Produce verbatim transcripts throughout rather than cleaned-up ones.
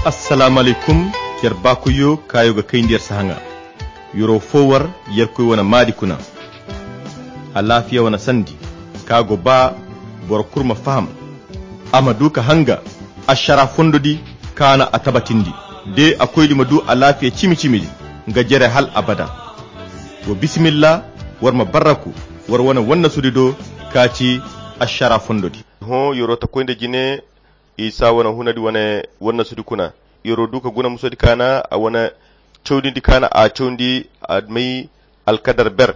Assalaamu alaykum. Yer baakoyyo kaayo ga kayndi yer sahaŋa. Yer'o fo war yerkoy wane maadi kuna. Alaafiya wane sandi ka go ba boro kulu ma faham, a ma du ka hanga ašara fondo di kaana a tabatindi. De a koydi ma du alaafiya cimi-cimi di nga jere hal abada. Wa bisimilla, war ma barraku war wane wannasudi do ka ci ašara fondo di. Hõ yer'o ta koy nda jine isa wane hunadi wane wannasudi kuna. Yer'o du ka guna musodi kaana a wane cawdindi kaana a cawndi a may alkadar ber.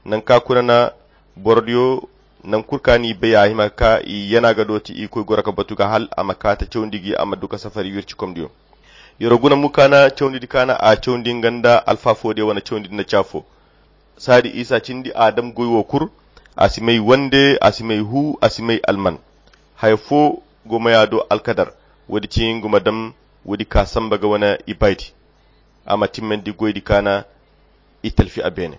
Nanka kuna na borodiyo nankul ka ni bay a hima ka ka i yana ga dooti i koy goro ka batu ga hal a ma kaata cawndi gi a ma du ka safari wirci komdiyo. Yer'o guna mu kaana cawndi di kaana a cawndi nga nda alfaafodiyo wane cawndi di na caafo. Saadi isa cindi a dam goy wo kul. A si may wande, a si may hu, a si may alman. Haya fo go maya do alkadar. Woodi ci nga ma dam woodi ka samba ga wane ibaydi. A ma timmandi goydi kaana i talfi a beene.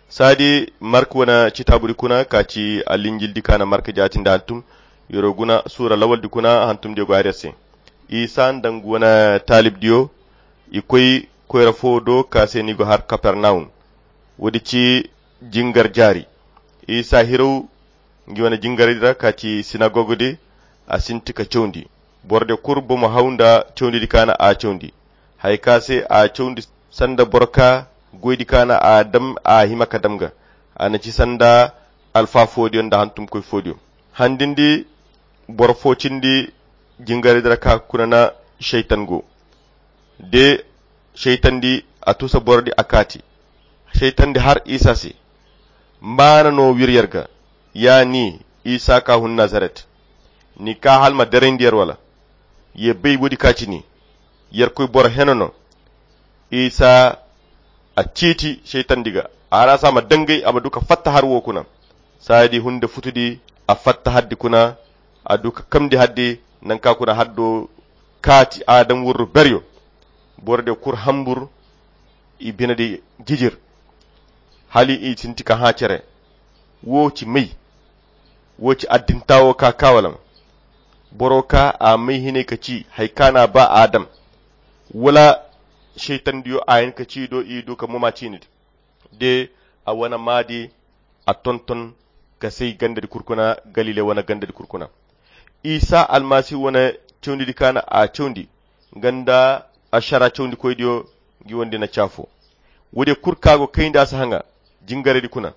Saadi mark wane citaabudi kuna ka ci alinjildi kaana mark jaatindi hantum. Yer'o guna suura lawaldi kuna hantumdiyo go hari yer se. Isa nda nga wane taalibdiyo i koy koyra fo do ka se ni go har kapernawum. Woodi ci jingar jaari. Isa hiraw ngi wane jingaraydi ra ka ci sinagogdi. A sinti ka cawndi. Borodiyo kul bomo haw nda cawndidi kaana a cawndi. Haya ka se a cawndi sanda boro ka goydi kaana a dam a hima ka dam ga. A na ci sanda alfaafoodiyo nda hantumkoy foodiyo. Handindi boro fo cindi jingaraydi ra ka kuna na saytan go. De saytandi a tuusa borodi a kaati. Saytandi har isa se. Maana no wir yer ga? Ya ni isa ka hun nazaret, ni ka hal ma derayndi yer wala? Ye bay woodi ka ci ni yerkoy boro heno no. Isa a ciiti saytandi ga a hara se a ma dangay a ma du ka fatta har wo kuna. Saadi hunde futudi a fatta haddi kuna. A du ka kamndi haddi nanka kuna haddo kaati adam wurru beryo. Borodiyo kul hambur i binedi jijir. Hala i sinti ka hã cere. Wo ci may? Wo ci addinta wo ka ka wala ma? Boro ka a may hinay ka ci haya ka na a ba adam? Wala saytandiyo a hin ka ci do i du ka moma ciinidi de a wane maadi. A tonton ka say gandadi kul kuna galile wane gandadi kul kuna. Isa almasihu wane cawndidi ka na a cawndi nga nda ašara cawndikoydiyo ngi wane di na caafo. Woodiyo kul ka go kayndi a si haŋa jingaraydi kuna.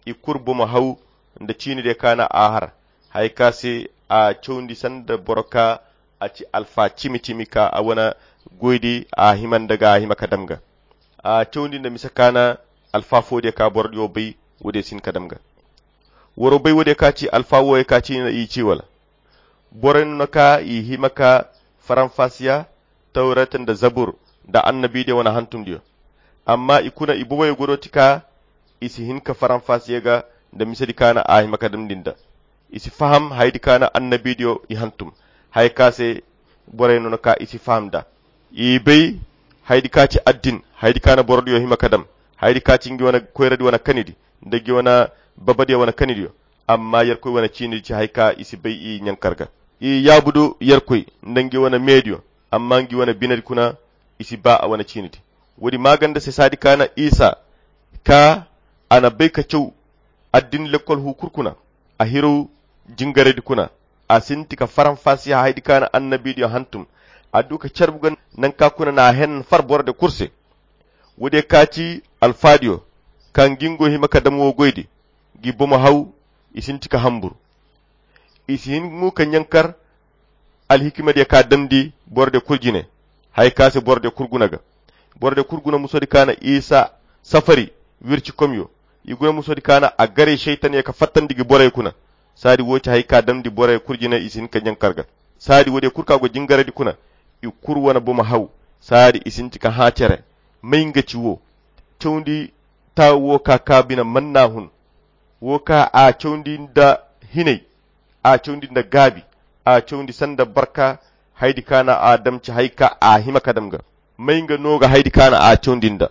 I kul bomo haw nda ciinidiyo ka na a har haya ka se a cawndi sanda boro ka a ci alfa cimi-cimi ka a wane goydi a hima nda ga a hima ka dam ga. A cawndi nda mise ka na alfa foodiyo ka borodiyo bay. Woodiyo si hin ka dam ga. Woro bay woodiyo ka ci alfa wooyo ka ci na i ci wala? Borey no na ka i hima ka faranfasiya tawret nda zabur nda annabidiyo wane hantumdiyo. Amma i kuna i boboyo godo ti ka i si hin ka faranfasiya ga nda misedi ka na a hima ka damndi nda. I si faham hayadi ka na annabidiyo i hantum haya ka se. Borey no na ka i si faham nda i bay hayadi ka ci addin hayadi ka na borodiyo hima ka dam hayadi ka ci ngi wane koyradi wane kanidi nda ngi wane babadiyo wane kanidiyo. Amma yerkoy wane ciinidi ci hay ka i si bay i ɲankar ga. I yaabudu yerkoy nda ngi wane meediyo. Amma ngi wane binedi kuna i si ba a wane ciinidi. Woodi maaganda se saadi ka na isa ka a na bay ka caw addin lekkol hu kul kuna. A hiraw jingaraydi kuna. A sinti ka faranfasiya hayadi ka na annabidiyo hantum. A du ka carbu ga nanka kuna na a henan far borode kul se. Woodiyo ka ci alfaadiyo ka ngi ngo hima ka dam wo goydi. Ngi bomo haw i sinti ka hambur. I si hin mo ka ɲankar alhikimadiyo ka damndi borodiyo kul jine. Haya ka se borodiyo kul guna ga. Borodiyo kul guna musodi ka na isa safari wircikomyo. I guna musodi ka na a garay saytanyo ka fattandi ngi borey kuna. Saadi wo ci hay ka damndi borey kul jine i si hin ka ɲankar ga. Saadi woodiyo kul ka go jingaraydi kuna. I kul wane bomo haw. Saadi i sinti ka hã cere. May nga ci wo? Cawndi taawu wo ka ka bine manna hun. Wo ka a cawndi nda hinay. A cawndi nda gaabi. A cawndi sanda barka hayadi ka na a dam ci hay ka a hima ka dam ga. May nga no ga hayadi ka na a cawndi nda?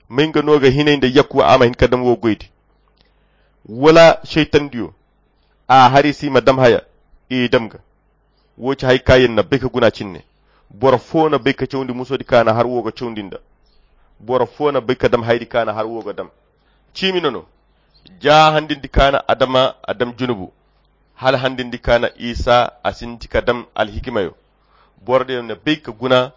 May nga no ga hinay nda yakku a ma hin ka dam wo goydi? Wala saytandiyo a hari si ma dam haya i dam ga? Wo ci hay ka yer na bay ka guna cinne. Boro foo na bay ka cawndi musoodi ka na har woo ga cawndi nda. Boro foo na bay ka dam haydi ka na har woo ga dam. Ciimi no no. Jaa handindi ka na adama a dam junubu. Hala handindi ka na isa a sinti ka dam alhikimayo. Boro diyo na bay ka guna.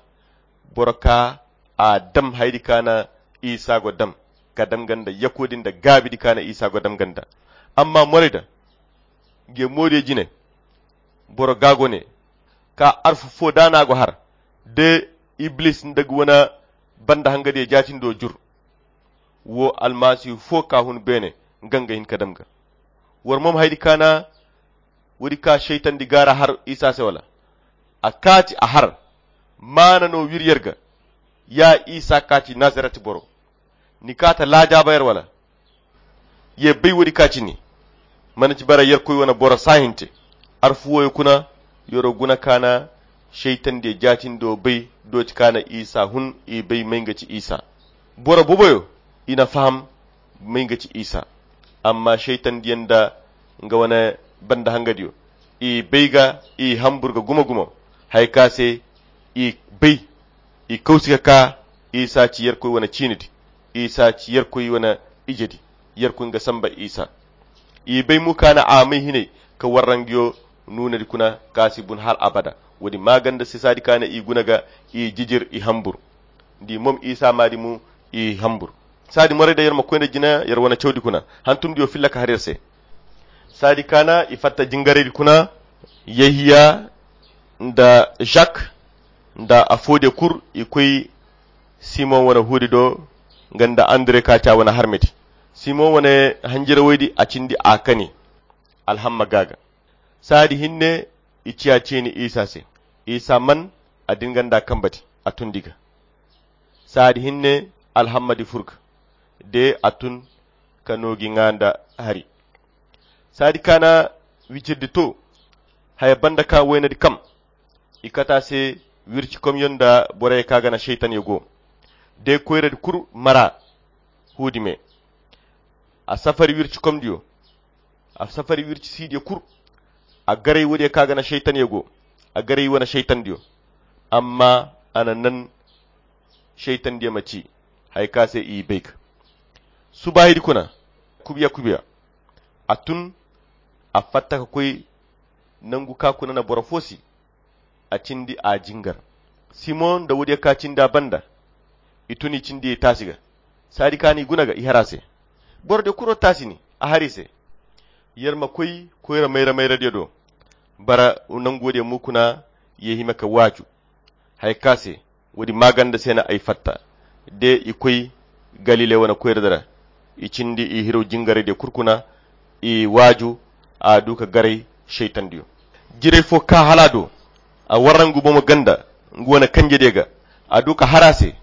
Boro ka a dam haydi ka na isa go dam. Ka dam ganda yakoodi nda gaabidi ka na isa go dam ganda. Amma morayda. Nge moodiyo jine. Boro gaago ne. Ka arfu foo da na go har. De iblis nda ga wane banda hangadiyo jaatindoo jur. Woo almasihu foo ka hun beene. Nga nga hin ka dam ga. War moom haydi ka na woodi ka seytandi gaara har isa se wala? A kaati a har. Maana no wir yer ga. Ya isa kaati nazaret boro. Ni kaata laajaaba yer wala? Ye bay woodi ka cini. Mana ci bara yerkoy wane boro saahinte. Arfu wooyo kuna. Yeroo guna ka na seytandiyo jaatindoo bay. Dooti ka na isa hun i bay may nga ci isa. Boro boboyo i na faham may nga ci isa. Amma seytandiyo nda nga wane banda hangadiyo i bay ga i hambur ga gumo-gumo. Haya ka se i bay. I kawsi ka ka isa ci yerkoy wane ciinidi. Isa ci yerkoy wane ijedi. Yerkoy nga samba isa. I bay mo ka na a may hinay ka warrangiyo nuunadi kuna ka si bun hal abada. Woodi maaganda se saadi ka na i guna ga i jijir i hambur. Di moom isa maadi mo i hambur. Saadi moray da yer ma koy nda jina yer wane cawdi kuna hantumdiyo filla ka har yer se. Saadi ka na i fatta jingaraydi kuna. Yehiya nda jak nda a foodiyo kul i koy. Simon wane huudi do nga nda andre ka ci a wane harmedi. Simon wane hanjirawaydi a cindi a kani. Alhamma gaaga. Saadi hinne i ciya ciini isa se. Isa man a din nga nda kambadi a tundi ga. Saadi hinne alhammadi fur ga. De a tun ka noogi nga nda hari. Saadi ka na wijirdi to. Haya banda ka waynadi kam. I kata se wircikomyo nda borey ka ga na seytanyo go. De koyradi kul mara huudi me. A safari wircikomdiyo. A safari wircisiidiyo kul. A garay woodiyo ka ga na seytanyo go. A garay wane seytandiyo. Amma a na nan seytandiyo ma ci haya ka se i bay ga. Subaahidi kuna kubiya kubiya. A tun a fatta ka koy nangu ka kuna na boro fo si. A cindi a jingar. Simon nda woodiyo ka cindi a banda. I tun i cindi i taasi ga. Saadi ka na i guna ga i har a se. Borodiyo kuro taasi ni a har i se. Yer ma koy koyra mayra mayradiyo do. Bara nangu woodiyo mo kuna ye hima ka waaju. Haya ka se woodi maaganda se na ay fatta. De i koy galile wane koyradi ra. I cindi i hiraw jingaraydiyo kul kuna. I waaju a du ka garay seytandiyo. Jiray fo ka hala a do. A warra nga bomo ganda nga wane kanjediyo ga. A du ka har a se.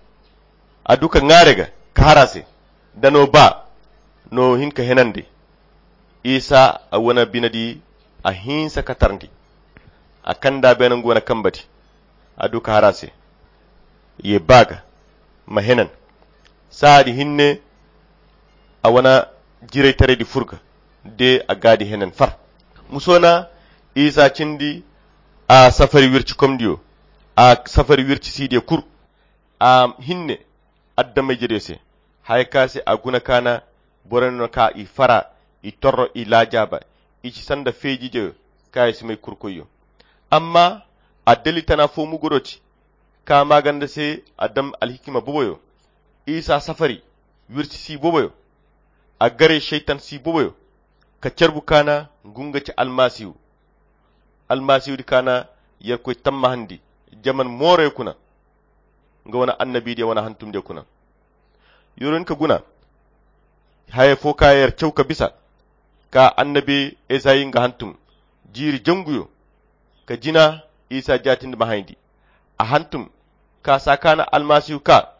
A du ka ŋaaray ga ka har a se. Da no ba no hin ka henandi. Isa a wane binedi a hinsa ka tarndi. A kanda beene nga wane kambedi. A du ka har a se. Ye ba ga ma henan. Saadi hinne a wane jiraytaraydi fur ga. De a gaadi henan far. Musoona isa cindi a safari wircikomdiyo. A safari wircisiidiyo kul. A hinne adama-ijediyo se. Haya ka se a guna ka na borey no ka i fara. I torro i laajaaba. I ci sanda feejiijeyo ka i si may kurkoyyo. Amma addali tana fo mo go do ci. Ka maaganda se a dam alhikima boboyo. Isa safari wirci si boboyo. A garay seytan si boboyo. Ka carbu ka na ngu nga ci almasihu. Almasihu di ka na yerkoy tammahandi jaman mooroyo kuna. Nga wane annabidiyo wane hantumdiyo kuna. Yer wo hin ka guna haya fo ka yer caw ka bisa. Ka annabi esayi nga hantum jiiri janguyo. Ka jina isa jaatindi ma hayndi. A hantum ka saa ka na almasihu ka.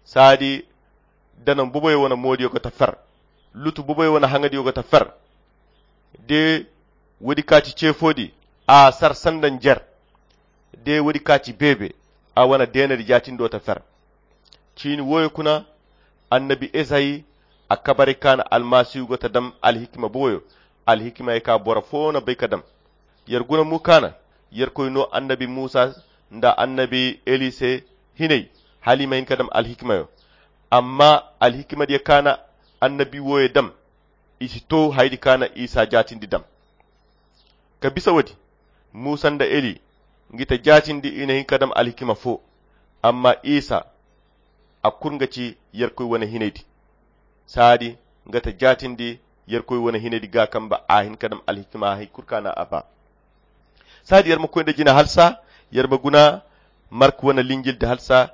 Saadi danan boboyo wane moodiyo ga ta fer. Lutu boboyo wane haŋadiyo ga ta fer. De woodi ka ci ceefoodi a sar sanda njer. De woodi ka ci beebe a wane deenadi jaatindo ta fer. Ciini wooyo kuna annabi esayi a kabaray ka na almasihu go ta dam alhikima boboyo. Alhikima ye ka boro fo na bay ka dam. Yer guna mo ka na yerkoy no annabi musa nda annabi eli se hinay, hala i ma hin ka dam alhikimayo. Amma alhikimadiyo kaana annabi wooyo dam, i si to hayadi kaana isa jaatindi dam. Ka bisa woodi, muusa nda eli ngi ta jaatindi i na hin ka dam alhikima fo. Amma isa a kul nga ci yerkoy wane hinaydi. Saadi nga ta jaatindi yerkoy wane hinaydi ga kamba a hin ka dam alhikima hay kul kaana a ba. Saadi yer ma koy nda jina halsa, yer ma guna mark wane linjildi halsa.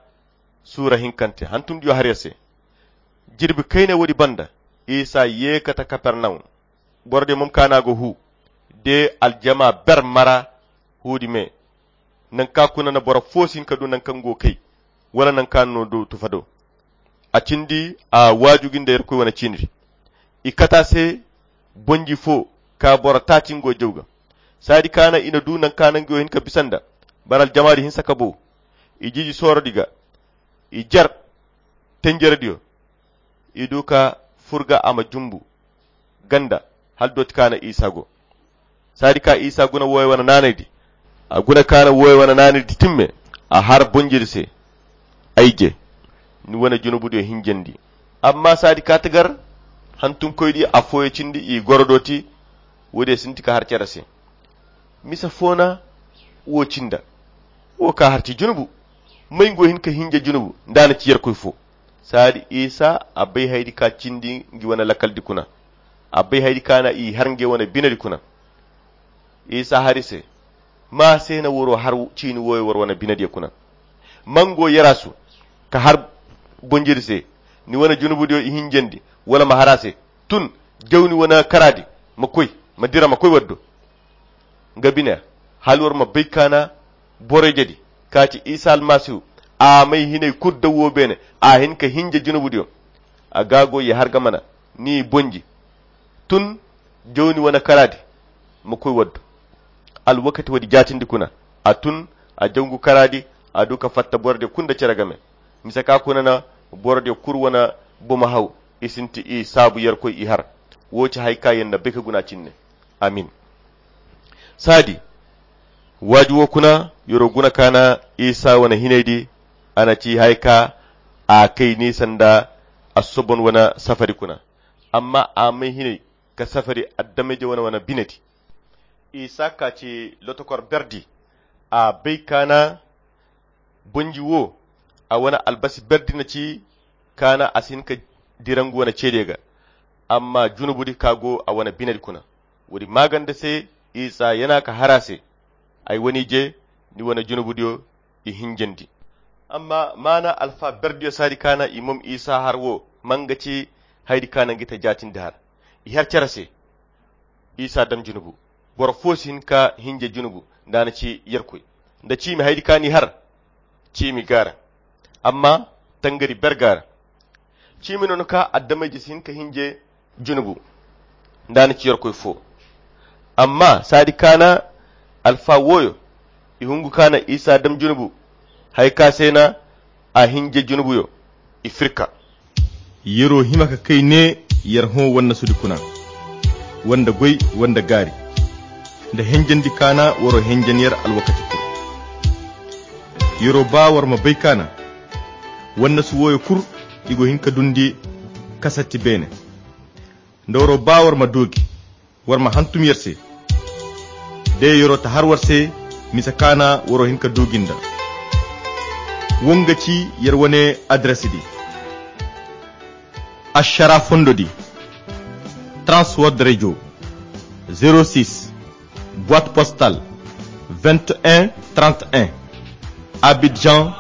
Suura hinkante hantumdiyo har yer se. Jirbi kayna woodi banda isa ye kate kapernawum. Borodiyo mom kaana go hu de aljama ber mara huudi me. Nanka kuna na boro fo si hin ka du nanka nga go kay wala nanka no du tufa do. A cindi a waaju gi nda yerkoy wane ciinidi. I kata se bonji fo ka boro taaci nga go jaw ga. Saadi kaana i na du nanka nangiyo hin ka bisa nda bara aljamaadi hinsa ka bow. I jiji soorodi ga i jer tenjerediyo. I du ka fur ga a ma jumbu ganda hala dooti kaana isa go. Saadi ka isa guna wooyo wane naanaydi. A guna kaana wooyo wane naanaydi timme a har bonjidi se. Ay je ni wane junubudiyo hinjandi. Amma saadi ka ti gar hantumkoydi affooyo cindi i goro dooti. Woodiyo sinti ka har cere se. Mise fo na wo cinda wo ka har ci junubu. May nga wo hin ka hinja junubu nda a na ci yerkoy fo. Saadi isa a bay hayadi ka cindi ngi wane lakaldi kuna. A bay hayadi ka na i har nge wane binedi kuna. Isa hari se ma se na woro har ciini wooyo war wane binediyo kuna? Mango yarasu ka har bonjiri se ni wane junubudiyo i hinjandi wala ma har a se. Tun jaw ni wane karaadi ma koy ma dira ma koy war do. Nga bine hala war ma bay ka na boroyjedi ka ci isa almasihu. A may hinay kul daw wo beene a hin ka hinja junubudiyo. A ga go ye har ga mana ni bonji. Tun jaw ni wane karaadi ma koy war do. Alwakati woodi jaatindi kuna a tun a jaw ngu karaadi. A du ka fatta borodiyo kul nda cere game. Mise ka kuna na borodiyo kul wane bomo haw. I sinti i saabu yerkoy i har. Wo ci hari ka yer na bay ka guna cinne. Amin. Saadi waaju wo kuna yer wo guna ka na isa wane hinaydi. A na ci hari ka a kay ni sanda assobon wane safari kuna. Amma a may hinay ka safari adameyje wane wane binedi. Isa ka ci lotokor berdi. A bay ka na bonji wo a wane albasi berdi na ci ka na a si hin ka dira ngu wane ceediyo ga. Amma junubudi ka go a wane binedi kuna. Woodi maaganda se isa yana ka har a se. Ay wane ije ni wane junubudiyo i hinjandi. Amma maana alfa berdiyo saadi ka na i mom isa har wo ma nga ci hayadi ka na ngi ta jaatindi har. I har cere se. Isa dam junubu. Boro fo si hin ka hinje junubu nda a na ci yerkoy. Nda ciimi hayadi ka n'i har ciimi gaara. Amma tangari ber gaara. Ciimi no no ka addamayje si hin ka hinje junubu nda a na ci yerkoy fo. Amma saadi ka na alfa wooyo i hungu ka na isa dam junubu. Hari ka se na a hinje junubuyo i firka. Yer'o hima ka kay ne yer hõ wannasudi kuna, wanda goy wanda gaari nda henjandi kaana war'o henjan yer alwakati kul. Yer'o ba war ma bay kaana wannasu wooyo kul i go hin ka dundi kasatti beene. Nda war'o ba war ma doogi war ma hantum yer se. De yer'o ta har war se mise kaana war'o hin ka doogi nda. Wo nga ci yer wane adres di. Ašara fondo di, Trans World Radio, zéro six, boîte postale, vingt et un trente et un, Abidjan,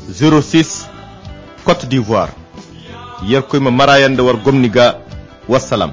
zéro six, Côte d'Ivoire. Yerkoy ma mara yer nda war gomni ga. Wassalam.